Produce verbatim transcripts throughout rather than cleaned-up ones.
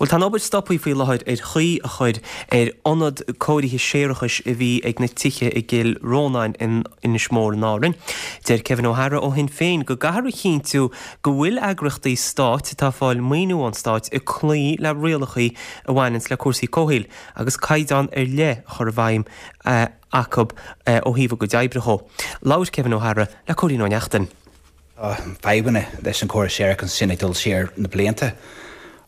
Bhuel tá an obair stoptha faoi láthair ar chaoi a chur ar ionad cóirithe séarachais a bhí ag na tithe i gCill Rónáin in Inis Mór in Árainn. Deir Kevin O'Hara ó Shinn Féin go gcaithfear a chinntiú go bhfuil eagraíochtaí stáit atá ag fáil maoiniú ón stát ag cloí le rialacha a bhaineann le cúrsaí comhshaoil agus caighdeán ar leith a chur i bhfeidhm uh, acu uh, ó thaobh a gcuid oibre de. Labhair Kevin O'Hara le Cóilín Ó Neachtain. Tá fadhbanna leis an córas séarachais sin ag dul siar na blianta.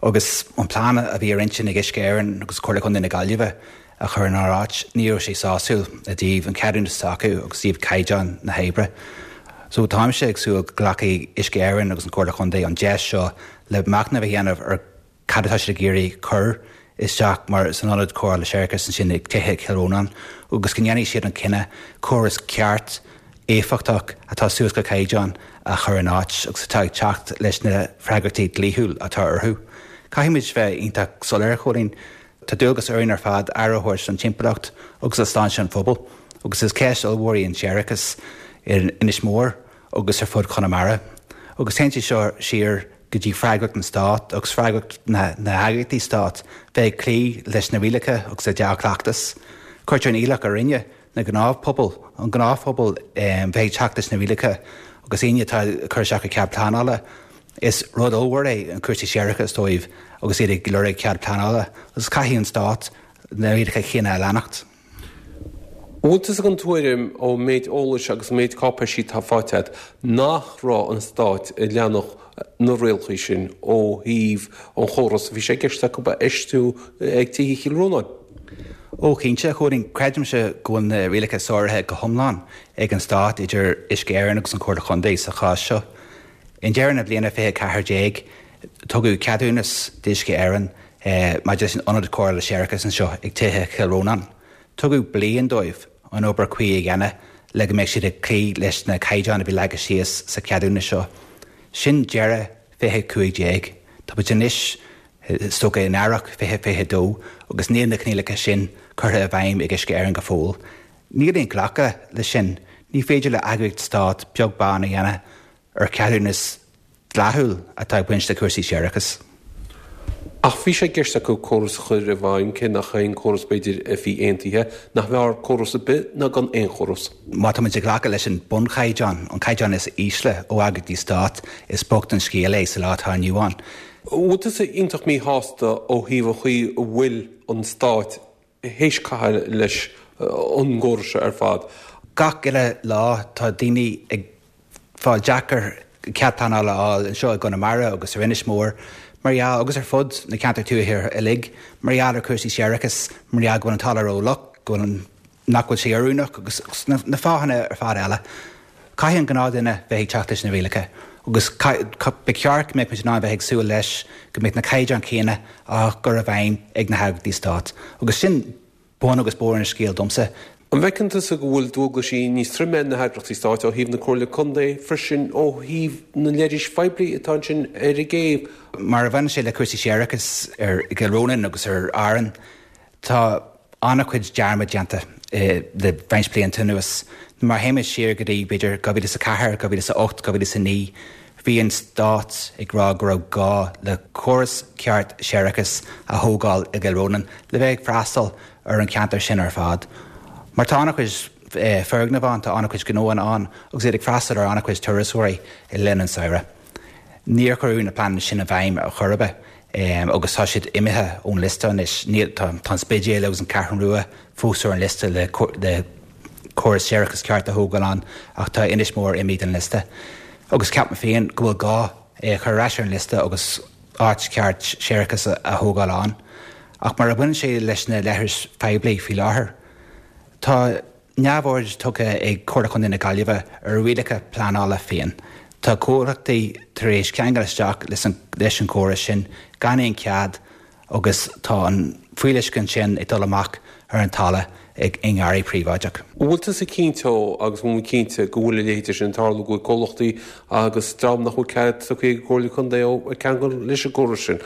Agus an plean a bhí ar intinn ag Uisce Éireann agus Comhairle Contae na Gaillimhe a chur in áit ní raibh sé sásúil i dtaobh an ceadúnas s'acu agus i dtaobh caighdeán na hoibre. So táimse ag súil go nglacfaidh Uisce Éireann agus an Comhairle Contae an deis seo le machnamh a dhéanamh ar cad atá siad ag iarraidh cur isteach mar san ionad cóireála séarachais sin ag tithe Chill Rónáin, agus go ndéanfaidh siad an cinneadh córas ceart éifeachtach atá suas go caighdeán a chur in áit agus atá ag teacht leis na freagrachtaí dlíthiúil atá orthu. Caithfimid bheith iontach soiléir Chóilín Tá dualgas orainn ar fad aire a thabhairt don timpeallacht agus do shláinte an phobail, agus is ceist ollmhór í an séarachas in Inis Mór agus ar fud Chonamara. Agus téann sé seo siar go dtí freagracht an stát agus freagracht na, na heagraíochtaí stát bheith ag cloí leis na rialacha agus le dea-chleachtas. Cuirtear an iallach orainne na gnáthphobal an gnáthphobal um, bheith ag teacht leis na rialacha agus aoinne atá ag cur isteach cead pleanála. Is rud ollmhór é an cúrsaí séarachais dóibh agus iad ag lorg cead pleanála, agus caithfidh an stát na rialacha céanna a leanacht. Bhfuil tú den tuairim ón méid eolais agus méid cáipéisí atá faighte agat nach raibh an stát ag leanacht na rialacha sin ó thaobh an chóras bhí sé i gceist acu a fheistiú ag tithe Chill Rónáin. Ó cinnte Chóilín creidimse go bhfuil na rialacha sáraithe go hiomlán ag an stát idir Uisce Éireann agus an Comhairle Contae sa chás seo. I ndeireadh na bliana fiche ceathair déag tugadh ceadúnas d'Uisce Éireann eh, maidir leis an ionad cóireála séarachais anseo ag tithe Chill Rónáin. Tugadh bliain dóibh an obair chuí a dhéanamh le go mbeidh siad ag cloí leis na caighdeáin a bhí leagtha síos sa cheadúnas seo. Sin deireadh fiche cúig déag. Tá muid anois is dócha in earrach fiche fiche dó agus níl na coinníollacha sin curtha i bhfeidhm ag Uisce Éireann go fóill. Níl aon ghlacadh leis sin, ní féidir le eagraíocht stát beag beann a dhéanamh ar cheadúnas dlíthiúil atá ag baint le cúrsaí séarachais. Ach bhí sé i gceist acu córas a chur i bhfeidhm cé nach aon córas b'fhéidir a bhí aontaithe nach mb'fhearr córas ar bith ná gan aon chóras. Má tá muid ag glacadh leis an bunchaighdeán an caighdeán is ísle ó eagraíochtaí stát is bocht an scéal é sa lá atá inniu ann. Bhfuil tusa iontach míshásta ó thaobh an chaoi a bhfuil an stát théis caitheamh leis an gcóras ar fad. Gach uile lá tá daoine ag fáil deacair cead pleanála a fháil anseo i gConamara agus ar Inis Mór, mar gheall agus ar fud na ceantar tuaithe uilig, mar gheall ar cúrsaí séarachais, mar gheall go bhfuil an talamh rófhliuch, go bhfuil nach bhfuil sé oiriúnach agus na, na fáthanna ar fad eile. Caithfidh an gnáthdhuine bheith ag teacht leis na rialacha, agus ba cheart go mbeadh muid in ann bheith ag súil leis go mbeadh na caighdeáin chéanna á gcur i bhfeidhm ag na heagraíochtaí stát. Agus sin bun agus barr an scéil domsa. An bhfeiceann tusa go bhfuil dualgaisí níos troime na heagraíochtaí stáit ó thaobh na Comhairle Contae freisin ó thaobh na leithris phoiblí atá ansin ar an gcéibh. Mar a bhaineann sé le cúrsaí séarachais ar Chill Rónáin agus ar Árainn, tá an-chuid dearmad déanta le roinnt blianta anuas. Mar théimid siar go dtí b'fhéidir dhá mhíle is a ceathair, dhá mhíle is a ocht, dhá mhíle is a naoi, bhí an stát ag rá go raibh gá le córas ceart séarachais a thógáil i gCill Rónáin le bheith ag freastal ar an ceantar sin ar fad. Mar tá an-chuid foirgneamh ann, tá an-chuid gnóanna ann agus iad ag freastal ar an-chuid turasóirí i linn an samhradh. Níor cuireadh na pleananna sin i bhfeidhm ar chor ar bith agus tá siad imithe ón liosta anois. Tá an Spidéal agus an Cheathrú Rua fós ar an liosta le le córas séarachais ceart a thógáil ann ach tá Inis Mór imithe den liosta. Agus ceapaim féin go bhfuil gá é a chur ar ais ar an liosta agus áit ceart séarachais a thógáil ann. Ach mar a bhaineann sé leis na leithris phoiblí faoi láthair, Tá neamhaird tugtha ag Comhairle Contae na Gaillimhe ar rialacha pleanála féin. Tá comhlachtaí tar éis ceangal isteach leis an gcóras sin gan aon chead agus tá an fuíolluisce sin ag dul amach ar an talamh ag i ngarraí príobháideach. Bhfuil tusa cinnte agus bhfuil cinnte go bhfuil a leithéid sin ag tarlú go bhfuil comhlachtaí agus dream nach bhfuil cead tugtha ag Comhairle Contae ó ag ceangal leis an gcóras sin.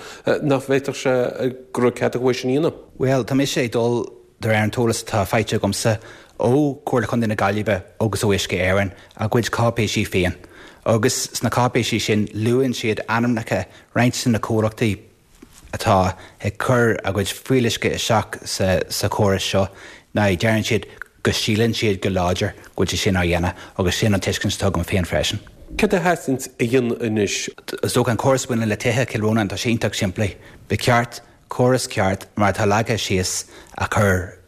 Nach bhféadfadh sé go raibh cead acu é sin a dhéanamh? Well, tá mise ag dul de réir an t-eolas atá faighte agamsa ó Chomhairle Contae na Gaillimhe agus ó Uisce Éireann a gcuid cáipéisí féin. Agus sna cáipéisí sin luann siad ainmneacha roinnt de na comhlachtaí atá ag cur a gcuid fuíolluisce isteach sa sa chóras seo ná deireann siad go síleann siad go láidir go bhfuil sé sin á dhéanamh agus sin an tuiscint atá agam féin freisin. Cad a theastaíonn a dhéanamh anois? Is dócha an córas a bhaineann le tithe Chill Rónáin, tá sé iontach simplí. Ba cheart córas ceart mar atá leagtha síos a chur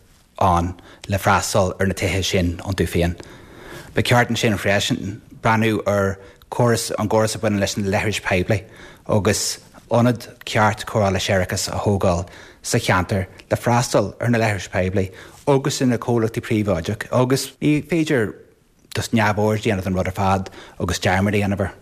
ann le freastal ar na tithe sin iontu féin. Ba cheart ansin freisin breathnú ar chóras an gcóras a bhaineann leis na leithris poiblí agus ionad ceart cóireála séarachais a thógáil sa cheantar le freastal ar na leithris poiblí agus ar na comhlachtaí príobháideach agus ní féidir just neamhaird a dhéanamh den rud ar fad agus dearmad a dhéanamh air.